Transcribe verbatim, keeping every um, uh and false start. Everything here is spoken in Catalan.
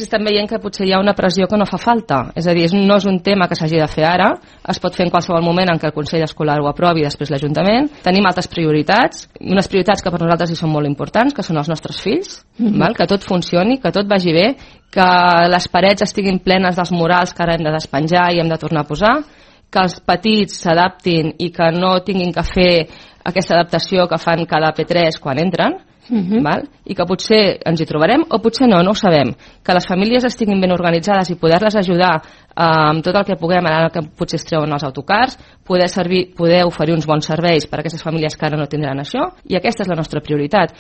Estem veient que potser hi ha una pressió que no fa falta, és a dir, no és un tema que s'hagi de fer ara, es pot fer en qualsevol moment en què el Consell Escolar ho aprovi i després l'Ajuntament. Tenim altres prioritats, unes prioritats que per nosaltres hi són molt importants, que són els nostres fills, mm-hmm. val? Que tot funcioni, que tot vagi bé, que les parets estiguin plenes dels murals que ara hem de despenjar i hem de tornar a posar, que els petits s'adaptin i que no tinguin que fer aquesta adaptació que fan cada P tres quan entren, Uh-huh. val? I que potser ens hi trobarem o potser no, no ho sabem, que les famílies estiguin ben organitzades i poder-les ajudar eh, amb tot el que puguem, ara que potser es treuen els autocars, poder, servir, poder oferir uns bons serveis per a aquestes famílies que ara no tindran això, i aquesta és la nostra prioritat.